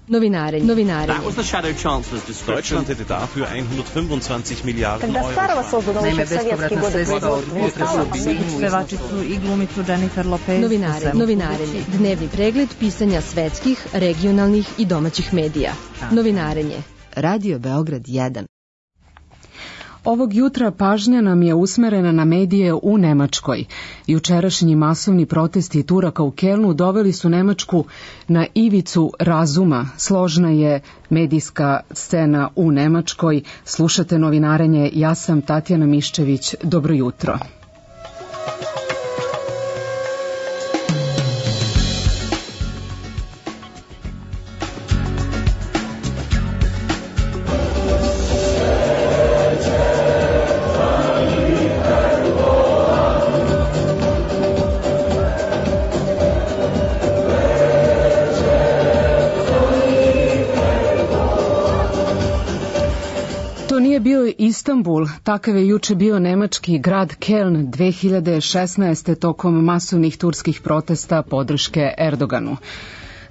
Novinare. That was the shadow chancellor's description. Deutschland hätte dafür 125 Milijarden Когда Старого создано еще в советские годы pevačicu i glumicu Jennifer Lopez. Novinarenje. Dnevni pregled pisanja svetskih, regionalnih i domaćih medija. Novinarenje. Radio Beograd 1. Ovog jutra pažnja nam je usmerena na medije u Nemačkoj. Jučerašnji masovni protesti Turaka u Kelnu doveli su Nemačku na ivicu razuma. Složna je medijska scena u Nemačkoj. Slušate novinarenje, ja sam Tatjana Miščević. Dobro jutro. Bio Istanbul, takav je juče bio nemački grad Keln 2016. tokom masovnih turskih protesta podrške Erdoganu.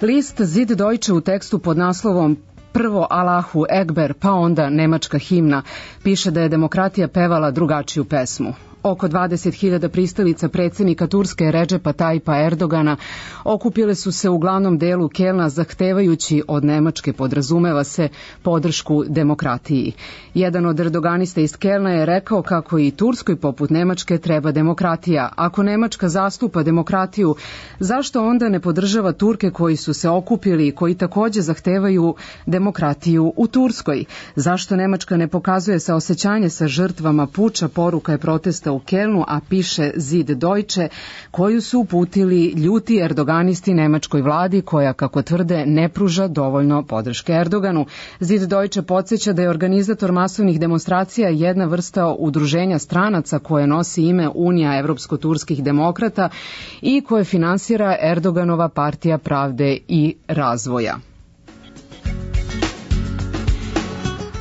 List Zid Deutsche u tekstu pod naslovom Prvo Allahu Ekber, pa onda nemačka himna, piše da je demokratija pevala drugačiju pesmu. Oko 20.000 pristalica predsjednika Turske Redžepa Tajpa Erdogana okupile su se u glavnom delu Kelna zahtevajući od Nemačke, podrazumeva se, podršku demokratiji. Jedan od erdoganista iz Kelna je rekao kako i Turskoj poput Nemačke treba demokratija. Ako Nemačka zastupa demokratiju, zašto onda ne podržava Turke koji su se okupili i koji također zahtevaju demokratiju u Turskoj? Zašto Nemačka ne pokazuje saosećanje sa žrtvama puča, poruka je protesta u Kelnu, a piše Zid Deutsche, koju su uputili ljuti erdoganisti nemačkoj vladi koja, kako tvrde, ne pruža dovoljno podrške Erdoganu. Zid Deutsche podsjeća da je organizator masovnih demonstracija jedna vrsta udruženja stranaca koje nosi ime Unija evropsko-turskih demokrata i koje finansira Erdoganova partija pravde i razvoja.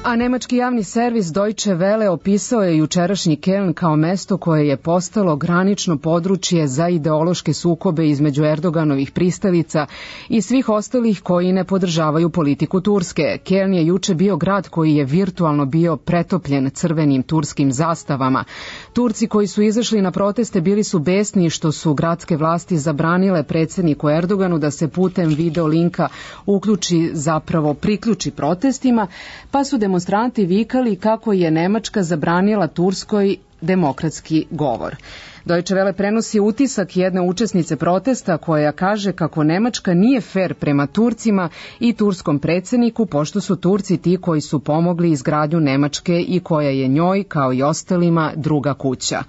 A nemački javni servis Deutsche Welle opisao je jučerašnji Keln kao mesto koje je postalo granično područje za ideološke sukobe između Erdoganovih pristalica i svih ostalih koji ne podržavaju politiku Turske. Keln je juče bio grad koji je virtualno bio pretopljen crvenim turskim zastavama. Turci koji su izašli na proteste bili su besni što su gradske vlasti zabranile predsjedniku Erdoganu da se putem video linka priključi protestima, pa su demonstranti vikali kako je Nemačka zabranila Turskoj demokratski govor. Deutsche Welle prenosi utisak jedne učesnice protesta koja kaže kako Nemačka nije fer prema Turcima i turskom predsjedniku, pošto su Turci ti koji su pomogli izgradnju Nemačke i koja je njoj, kao i ostalima, druga kuća.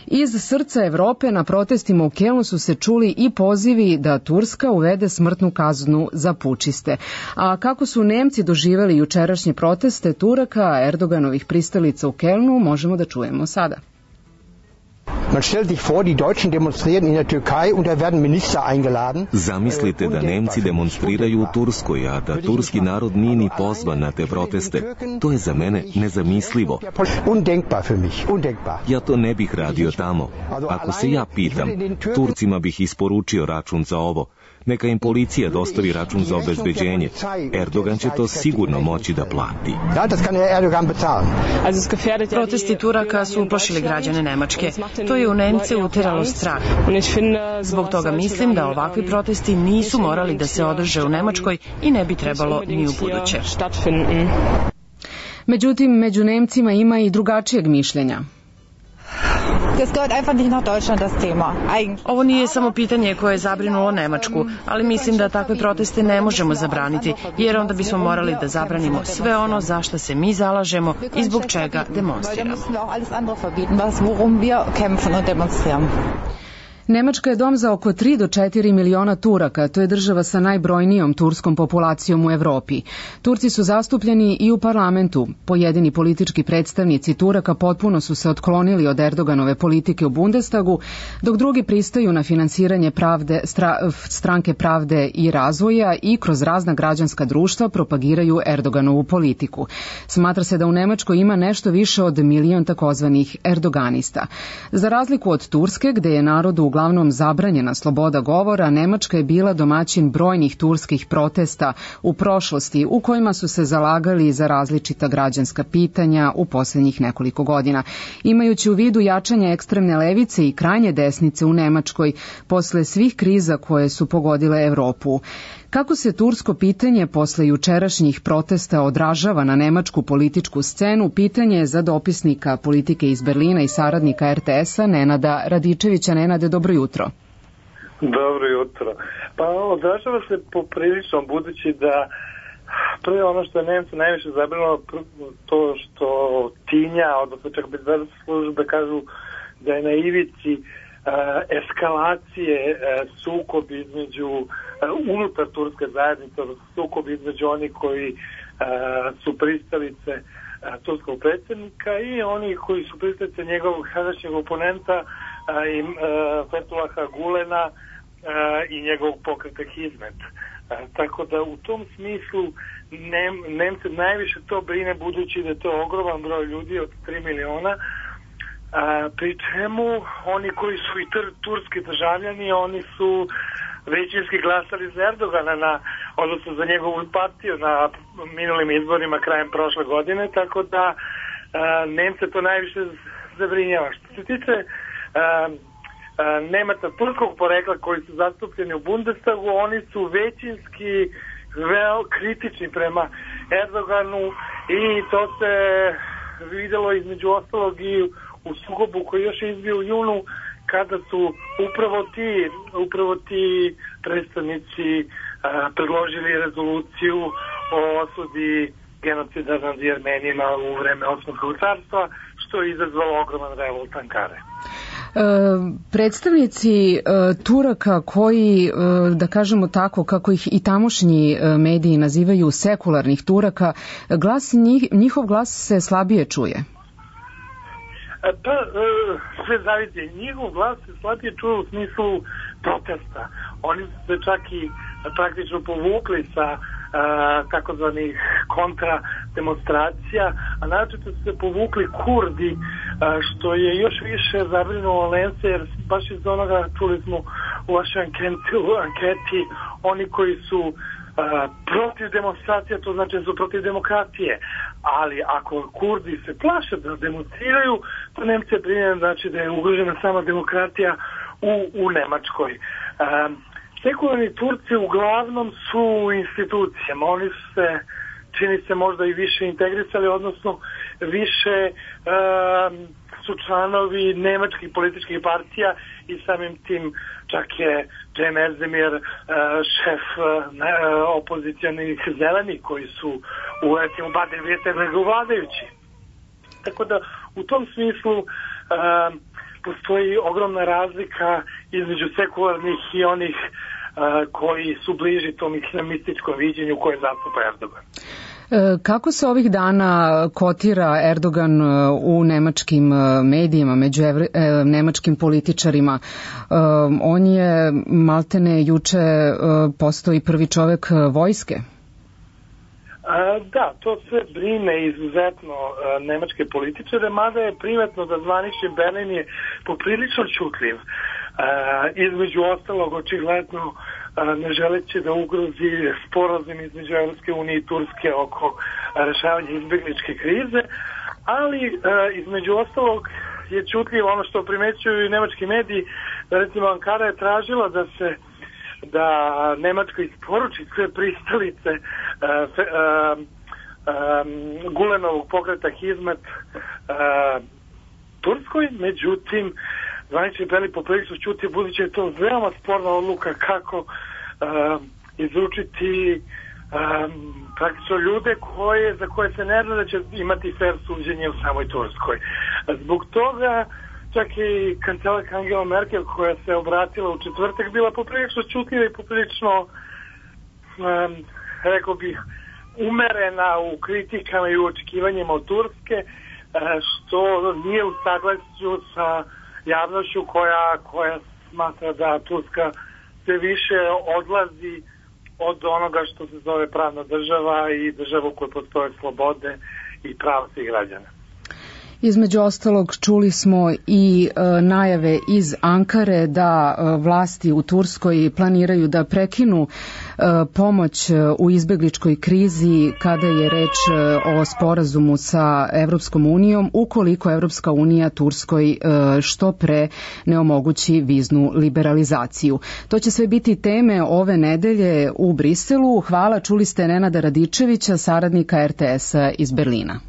Iz srca Evrope na protestima u Kelnu su se čuli i pozivi da Turska uvede smrtnu kaznu za pučiste. A kako su Nemci doživjeli jučerašnje proteste Turaka, Erdoganovih pristalica u Kelnu, možemo da čujemo sada. Man stellt sich vor, die Deutschen demonstrieren in der Türkei und da werden Minister eingeladen. Zamislite da Nemci demonstriraju u Turskoj, a da turski narod nije ni pozvan na te proteste. To je za mene nezamislivo. Undenkbar für mich, undenkbar. Ja to ne bih radio tamo. Ako se ja pitam, Turcima bih isporučio račun za ovo. Neka im policija dostavi račun za obezbeđenje. Erdogan će to sigurno moći da plati. Protesti Turaka su uplašili građane Nemačke. To je u Nemce uteralo strah. Zbog toga mislim da ovakvi protesti nisu morali da se održe u Nemačkoj i ne bi trebalo ni u buduće. Međutim, među Nemcima ima i drugačijeg mišljenja. Ovo nije samo pitanje koje je zabrinulo Nemačku, ali mislim da takve proteste ne možemo zabraniti, jer onda bismo morali da zabranimo sve ono za što se mi zalažemo i zbog čega demonstriramo. Nemačka je dom za oko 3 do 4 miliona Turaka, to je država sa najbrojnijom turskom populacijom u Evropi. Turci su zastupljeni i u parlamentu. Pojedini politički predstavnici Turaka potpuno su se otklonili od Erdoganove politike u Bundestagu, dok drugi pristaju na finansiranje stranke pravde i razvoja i kroz razna građanska društva propagiraju Erdoganovu politiku. Smatra se da u Nemačkoj ima nešto više od 1 milion takozvanih erdoganista. Za razliku od Turske, gde je narod uglavnom zabranjena sloboda govora, Nemačka je bila domaćin brojnih turskih protesta u prošlosti u kojima su se zalagali za različita građanska pitanja u posljednjih nekoliko godina. Imajući u vidu jačanje ekstremne levice i krajnje desnice u Nemačkoj posle svih kriza koje su pogodile Evropu. Kako se tursko pitanje posle jučerašnjih protesta odražava na nemačku političku scenu, pitanje je za dopisnika politike iz Berlina i saradnika RTS-a Nenada Radičevića. Nenade, dobro jutro. Dobro jutro. Pa odražava se poprilično, budući da prvo ono što je Nemce najviše zabrinulo, to što tinja, odnosno čak bezbednosne službe kažu da je na ivici eskalacije sukob između unutar turske zajednice, sukob između onih koji su pristalice turskog predsjednika i oni koji su pristalice njegovog sadašnjeg oponenta Fethullaha Gulena i njegovog pokreta Hizmet. Tako da u tom smislu Nemce najviše to brine, budući da je to ogroman broj ljudi od 3 miliona, pri čemu oni koji su i turski državljani, oni su većinski glasali za Erdogana, odnosno za njegovu partiju na minulim izborima krajem prošle godine, tako da Nemce to najviše zabrinjava. Što se tiče Nemaca turskog porekla koji su zastupljeni u Bundestagu, oni su većinski kritični prema Erdoganu i to se videlo između ostalog i u sukobu koji još izbio u junu, kada su upravo ti predstavnici predložili rezoluciju o osudi genocida nad Jermenima u vreme Osmanskog carstva, što je izazvalo ogroman revolt Ankare. Predstavnici Turaka koji, da kažemo tako, kako ih i tamošnji mediji nazivaju sekularnih Turaka, njihov glas se slabije čuje. Pa, sve zavisi. Njihov glas se slabije čuje u smislu protesta. Oni su se čak i praktično povukli sa takozvanih kontra demonstracija, a naročito su se povukli Kurdi, što je još više zabrinulo Nemce, jer baš iz onoga čuli smo u vašoj anketi, oni koji su protiv demonstracija, to znači da su protiv demokratije, ali ako Kurdi se plaše da demonstriraju, to Nemce brine, znači da je ugrožena sama demokratija u Nemačkoj. Sekularni Turci uglavnom su u institucijama, oni su se, čini se, možda i više integrisali, odnosno više su članovi nemačkih političkih partija i samim tim čak je Cem Özdemir šef opozicionih zelenih koji su u recimo Baden-Württembergu vladajući. Tako da u tom smislu postoji ogromna razlika između sekularnih i onih koji su bliži tom islamističkom viđenju koje zastupa Erdogan. Kako se ovih dana kotira Erdogan u nemačkim medijima, među nemačkim političarima? On je maltene juče postao i prvi čovek vojske. Da, to sve brine izuzetno nemačke političare, mada je primetno da zvanični Berlin je poprilično čutljiv. Između ostalog, očigledno ne želeći da ugrozi sporazum između Evropske unije i Turske oko rešavanja izbjegličke krize, ali između ostalog je čutljivo ono što primećuju i nemački mediji, da recimo Ankara je tražila da Nemačka isporuči sve pristalice Gulenovog pokreta Hizmet Turskoj, međutim zvanični Berlin poprilično čuti, budući je to veoma sporna odluka kako izručiti praktično ljude za koje se ne zna da će imati fair suđenje u samoj Turskoj. Zbog toga čak i kancelarka Angela Merkel, koja se obratila u četvrtak, bila poprilično čutljiva i poprilično, rekao bih, umerena u kritikama i u očekivanjima od Turske, što nije u saglasju sa javnošću koja smatra da Turska sve više odlazi od onoga što se zove pravna država i država u kojoj postoje slobode i prava svih građana. Između ostalog čuli smo i najave iz Ankare da vlasti u Turskoj planiraju da prekinu pomoć u izbegličkoj krizi kada je reč o sporazumu sa Evropskom unijom, ukoliko Evropska unija Turskoj što pre ne omogući viznu liberalizaciju. To će sve biti teme ove nedelje u Briselu. Hvala, čuli ste Nenada Radičevića, saradnika RTS-a iz Berlina.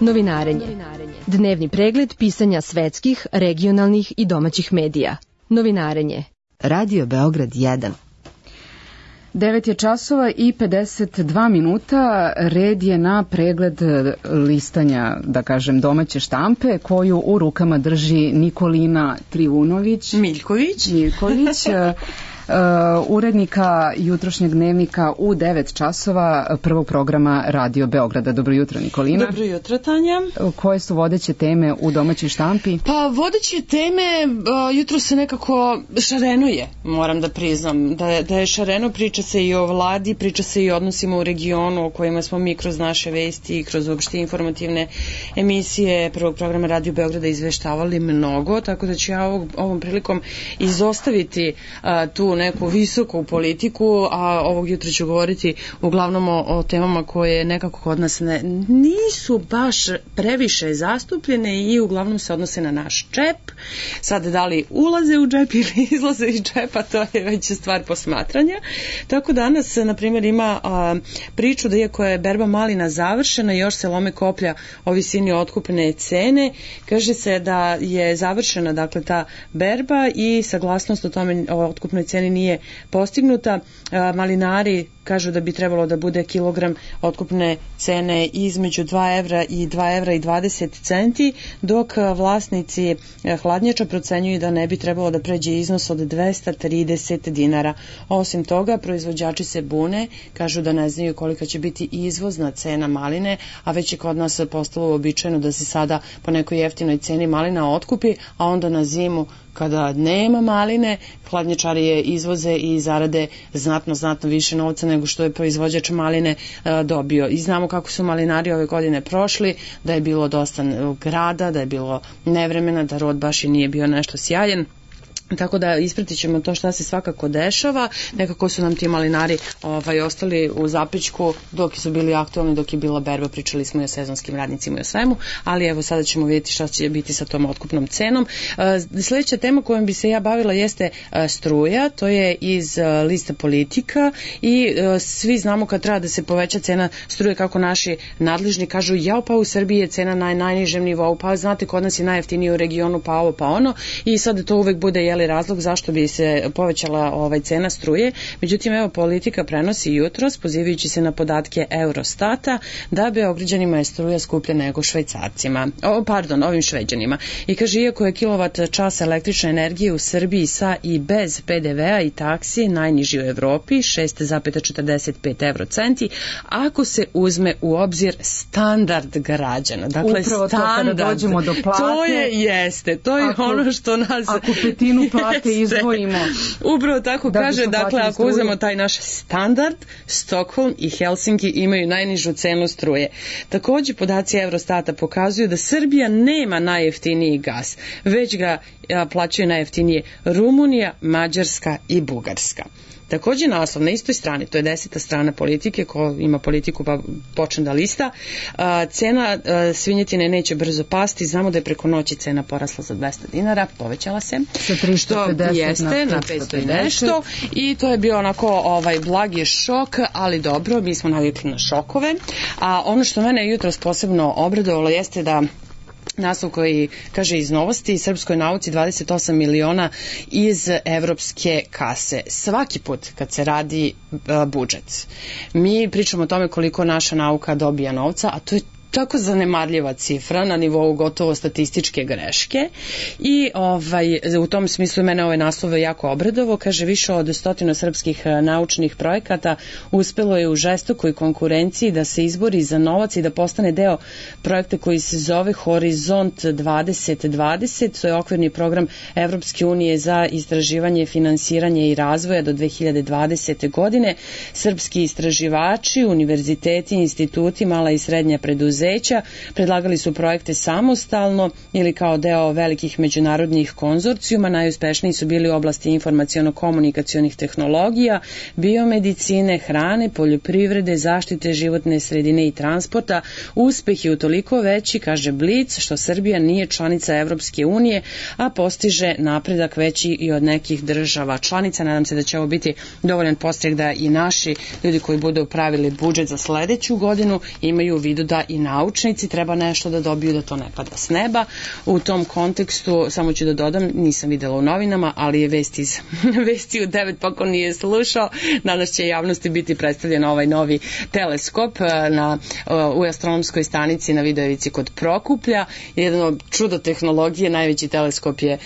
Novinarenje. Dnevni pregled pisanja svetskih, regionalnih i domaćih medija. Novinarenje. Radio Beograd 1. 9 je časova i 52 minuta. Red je na pregled listanja, da kažem, domaće štampe, koju u rukama drži Nikolina Trivunović. Miljković. Urednika jutrošnjeg dnevnika u 9 časova prvog programa Radio Beograda. Dobro jutro, Nikolina. Dobro jutro, Tanja. Koje su vodeće teme u domaćoj štampi? Pa vodeće teme jutro se nekako šarenuje, moram da priznam. Da je šareno, priča se i o vladi, priča se i o odnosima u regionu o kojima smo mi kroz naše vesti i kroz uopšte informativne emisije prvog programa Radio Beograda izveštavali mnogo, tako da ću ja ovom prilikom izostaviti tu neku visoku politiku, a ovog jutra ću govoriti uglavnom o temama koje nekako kod nas nisu baš previše zastupljene i uglavnom se odnose na naš džep. Sad, da li ulaze u džep ili izlaze iz džepa, to je već stvar posmatranja. Tako danas, na primjer, ima priču da iako je berba malina završena, još se lome koplja o visini otkupne cene. Kaže se da je završena, dakle, ta berba i saglasnost o tome o otkupnoj ceni nije postignuta. Malinari kažu da bi trebalo da bude kilogram otkupne cene između 2 evra i 2 evra i 20 centi, dok vlasnici hladnjača procenjuju da ne bi trebalo da pređe iznos od 230 dinara. Osim toga, proizvođači se bune, kažu da ne znaju kolika će biti izvozna cena maline, a već je kod nas postalo uobičajeno da se sada po nekoj jeftinoj ceni malina otkupi, a onda na zimu kada nema maline, hladnjačari je izvoze i zarade znatno više novca nego što je proizvođač maline dobio. I znamo kako su malinari ove godine prošli, da je bilo dosta grada, da je bilo nevremena, da rod baš i nije bio nešto sjajan. Tako da ispratit ćemo to šta se svakako dešava. Nekako su nam ti malinari ostali u zapećku dok su bili aktualni, dok je bila berba, pričali smo i o sezonskim radnicima i o svemu, ali evo sada ćemo vidjeti šta će biti sa tom otkupnom cenom. Sljedeća tema kojom bi se ja bavila jeste struja, to je iz lista Politika i svi znamo kad treba da se poveća cena struje, kako naši nadležni kažu, pa u Srbiji je cena na najnižem nivou, pa znate kod nas je najjeftiniji u regionu, pa ovo pa ono, i sad to uvek bude razlog zašto bi se povećala cena struje. Međutim, evo, Politika prenosi jutros, pozivajući se na podatke Eurostata, da Beograđanima je struja skuplja nego Švajcarcima. Ovim Šveđanima. I kaže, iako je kilovat čas električne energije u Srbiji sa i bez PDV-a i taksi najniži u Evropi, 6,45 eurocenti, ako se uzme u obzir standard građana. Dakle, upravo standard, to kada dođemo do plate. To je ono što nas... Ako petinu plate izdvojimo. Upravo tako kaže, dakle, ako uzmemo taj naš standard, Stockholm i Helsinki imaju najnižu cenu struje. Također, podaci Eurostata pokazuju da Srbija nema najjeftiniji gas, već ga plaćaju najjeftinije Rumunija, Mađarska i Bugarska. Takođe naslov na istoj strani, to je 10. strana Politike, ko ima Politiku pa počne da lista, cena svinjetine neće brzo pasti, znamo da je preko noći cena porasla za 200 dinara, povećala se, sa 350 jeste, na 500 i nešto, i to je bio onako blagi šok, ali dobro, mi smo navikli na šokove, a ono što mene jutros posebno obradovalo jeste da naslov koji kaže iz novosti, srpskoj nauci 28 miliona iz evropske kase. Svaki put kad se radi budžet, mi pričamo o tome koliko naša nauka dobija novca, a to je tako zanemarljiva cifra na nivou gotovo statističke greške i u tom smislu mene ovaj naslov jako obradovao. Kaže, više od 100 srpskih naučnih projekata uspelo je u žestokoj konkurenciji da se izbori za novac i da postane deo projekta koji se zove Horizont 2020, to je okvirni program Evropske unije za istraživanje, finansiranje i razvoja do 2020. godine. Srpski istraživači, univerziteti, instituti, mala i srednja preduzeća predlagali su projekte samostalno ili kao deo velikih međunarodnih konzorcijuma. Najuspešniji su bili u oblasti informaciono-komunikacionih tehnologija, biomedicine, hrane, poljoprivrede, zaštite životne sredine i transporta. Uspeh je utoliko veći, kaže Blic, što Srbija nije članica Evropske unije, a postiže napredak veći i od nekih država članica. Nadam se da će ovo biti dovoljan podstrek da i naši ljudi koji budu pravili budžet za sledeću godinu imaju u vidu da i naučnici treba nešto da dobiju, da to ne pada s neba. U tom kontekstu, samo ću da dodam, nisam videla u novinama, ali je vesti u 9, pa ko nije slušao, danas će javnosti biti predstavljen ovaj novi teleskop u astronomskoj stanici na Vidojevici kod Prokuplja. Jedno čudo tehnologije, najveći teleskop je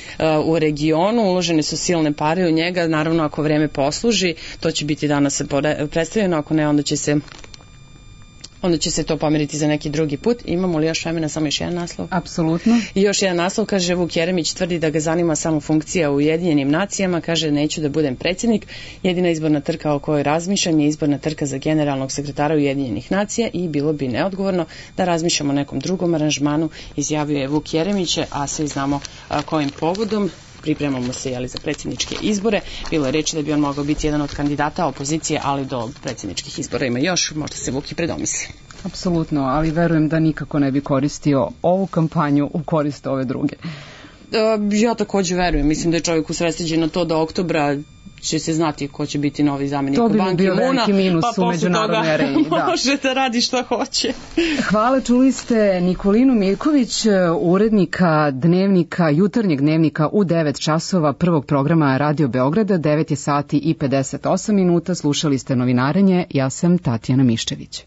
u regionu, uložene su silne pare u njega, naravno ako vreme posluži, to će biti danas predstavljeno, ako ne, onda će se to pomeriti za neki drugi put. Imamo li još vremena, samo još jedan naslov? Apsolutno. I još jedan naslov, kaže, Vuk Jeremić tvrdi da ga zanima samo funkcija u Ujedinjenim nacijama, kaže, neću da budem predsjednik, jedina izborna trka o kojoj razmišljam je izborna trka za generalnog sekretara Ujedinjenih nacija i bilo bi neodgovorno da razmišljamo o nekom drugom aranžmanu, izjavio je Vuk Jeremić, a svi znamo kojim povodom. Pripremamo se za predsjedničke izbore. Bilo je reči da bi on mogao biti jedan od kandidata opozicije, ali do predsjedničkih izbora ima još, možda se Vuk i predomisli. Apsolutno, ali verujem da nikako ne bi koristio ovu kampanju u korist ove druge. Ja takođe verujem, mislim da je čovjek usredsređen na to da oktobra će se znati ko će biti novi zamjenik u Ban Ki-moona, veliki minus u međunarodnoj areni. Može da radi što hoće. Hvala, čuli ste Nikolinu Miljković, urednika dnevnika, jutarnjeg dnevnika u 9 časova prvog programa Radio Beograda, 9 je sati i 58 minuta, slušali ste Novinarenje, ja sam Tatjana Miščević.